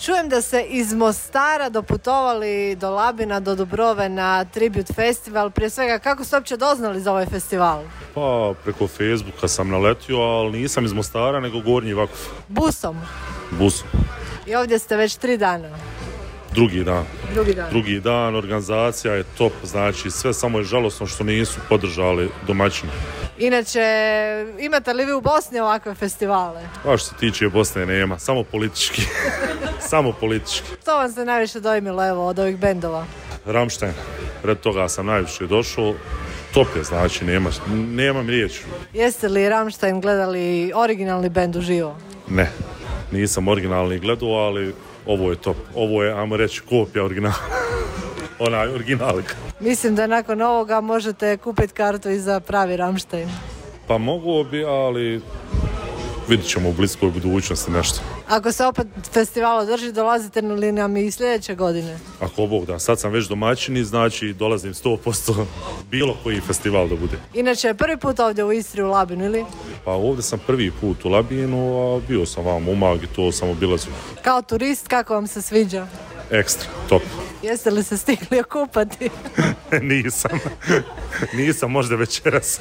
Čujem da se iz Mostara doputovali do Labina, do Dubrove na Tribute Festival. Prije svega, kako ste uopće doznali za ovaj festival? Pa, preko Facebooka sam naletio, ali nisam iz Mostara, nego Gornji Vakuf. Busom? Busom. I ovdje ste već 3 dana? Drugi dan, organizacija je top, znači sve, samo je žalosno što nisu podržali domaćine. Inače, imate li vi u Bosni ovakve festivale? Pa što se tiče Bosne nema, samo politički. Samo politički. Što vam se najviše dojmilo, evo, od ovih bendova? Rammstein, red toga sam najviše došao. Top je, znači nemam riječi. Jeste li Rammstein gledali originalni bend uživo? Ne, nisam originalni gledao, ali ovo je top. Ovo je, ajmo reći, kopija originala. Onaj originalka. Mislim da nakon ovoga možete kupiti kartu i za pravi Rammstein. Pa mogu bi, ali vidit ćemo u bliskoj budućnosti nešto. Ako se opet festival održi, dolazite li nam i sljedeće godine? Ako Bog da, sad sam već domaćini, znači dolazim 100% bilo koji festival da bude. Inače, prvi put ovdje u Istri u Labinu, ili? Pa ovdje sam prvi put u Labinu, a bio sam vam u Umag i to sam obilazio. Kao turist, kako vam se sviđa? Ekstra, top. Jeste li se stigli okupati? Nisam, možda večeras.